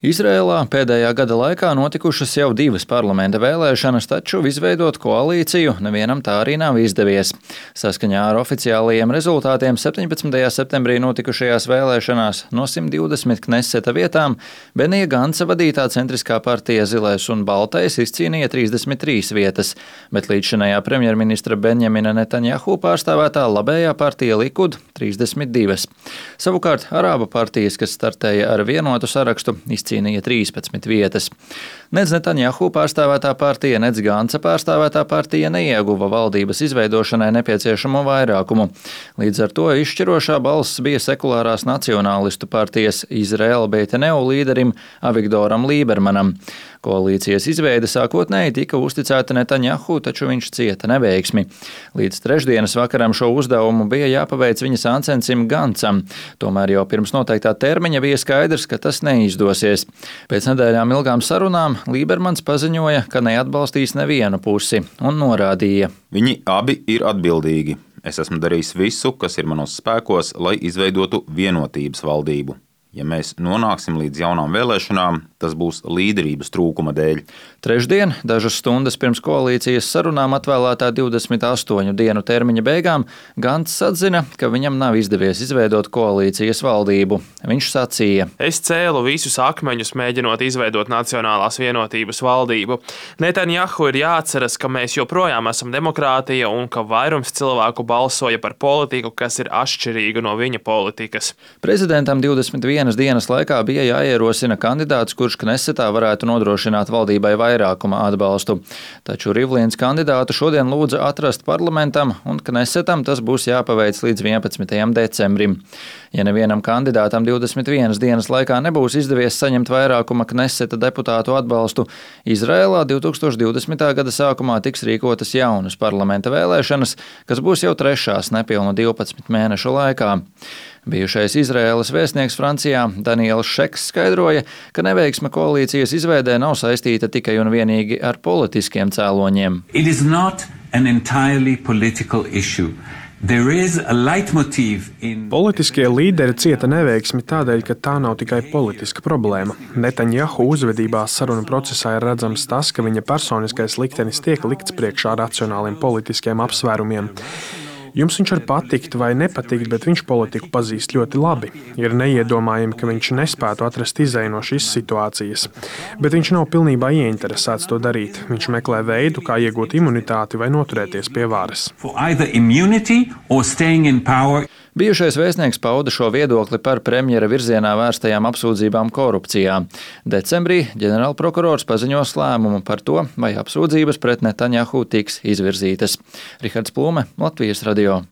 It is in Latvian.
Izrēlā pēdējā gada laikā notikušas jau 2 parlamenta vēlēšanas, taču izveidot koalīciju nevienam tā arī nav izdevies. Saskaņā ar oficiālajiem rezultātiem 17. septembrī notikušajās vēlēšanās no 120 Kneseta vietām Benija Ganca vadītā centriskā partija Zilais un Baltais izcīnīja 33 vietas, bet līdzšinējā premjerministra Benjamina Netanjahu pārstāvētā labējā partija Likud 32. Savukārt Arābu partijas, kas startēja ar vienotu sarakstu, izcīnīja 13 vietas. Nec Netanjahu pārstāvētā partija, nec Ganca pārstāvētā partija neieguva valdības izveidošanai nepieciešamo vairākumu. Līdz ar to izšķirošā balss bija sekulārās nacionālistu partijas Izraela Beiteneu līderim Avigdoram Lībermanam. Koalīcijas izveide sākotnēji tika uzticēta Netanjahu, taču viņš cieta neveiksmi. Līdz trešdienas vakaram šo uzdevumu bija jāpaveic viņa sāncencim Gancam. Tomēr jau pirms noteiktā termiņa bija skaidrs, ka tas neizdosies. Pēc nedēļām ilgām sarunām Lībermans paziņoja, ka neatbalstīs nevienu pusi un norādīja: Viņi abi ir atbildīgi. Es esmu darījis visu, kas ir manos spēkos, lai izveidotu vienotības valdību. Ja mēs nonāksim līdz jaunām vēlēšanām, tas būs līderības trūkuma dēļ. Trešdien, dažas stundas pirms koalīcijas sarunām atvēlētā 28 dienu termiņa beigām, Gants atzina, ka viņam nav izdevies izveidot koalīcijas valdību. Viņš sacīja: Es cēlu visus akmeņus, mēģinot izveidot Nacionālās vienotības valdību. Netanjahu ir jāatceras, ka mēs joprojām esam demokrātija un ka vairums cilvēku balsoja par politiku, kas ir atšķirīga no viņa politikas. Prezidentam 21 dienas laikā bija jāierosina kandidāts, kurš Knesetā varētu nodrošināt valdībai vairākuma atbalstu. Taču Rivlins kandidātu šodien lūdza atrast parlamentam, un Knesetam tas būs jāpaveic līdz 11. decembrim. Ja nevienam kandidātam 21 dienas laikā nebūs izdevies saņemt vairākuma Kneseta deputātu atbalstu, Izrēlā 2020. gada sākumā tiks rīkotas jaunas parlamenta vēlēšanas, kas būs jau trešās nepilnu 12 mēnešu laikā. Bijušais Izraēlas vēstnieks Francijā Daniels Šeks skaidroja, ka neveiksme koalīcijas izveidē nav saistīta tikai un vienīgi ar politiskiem cēloņiem. Politiskie līderi cieta neveiksmi tādēļ, ka tā nav tikai politiska problēma. Netanjahu uzvedībā sarunu procesā ir redzams tas, ka viņa personiskais liktenis tiek likts priekšā racionāliem politiskiem apsvērumiem. Jums viņš var patikt vai nepatikt, bet viņš politiku pazīst ļoti labi. Ir neiedomājami, ka viņš nespētu atrast izēju no šīs situācijas. Bet viņš nav pilnībā ieinteresēts to darīt. Viņš meklē veidu, kā iegūt imunitāti vai noturēties pie varas. Bijušais vēstnieks pauda šo viedokli par premjera virzienā vērstajām apsūdzībām korupcijā. Decembrī ģenerālprokurors paziņos lēmumu par to, vai apsūdzības pret Netanjahu tiks izvirzītas. Rihards Plūme, Latvijas radio.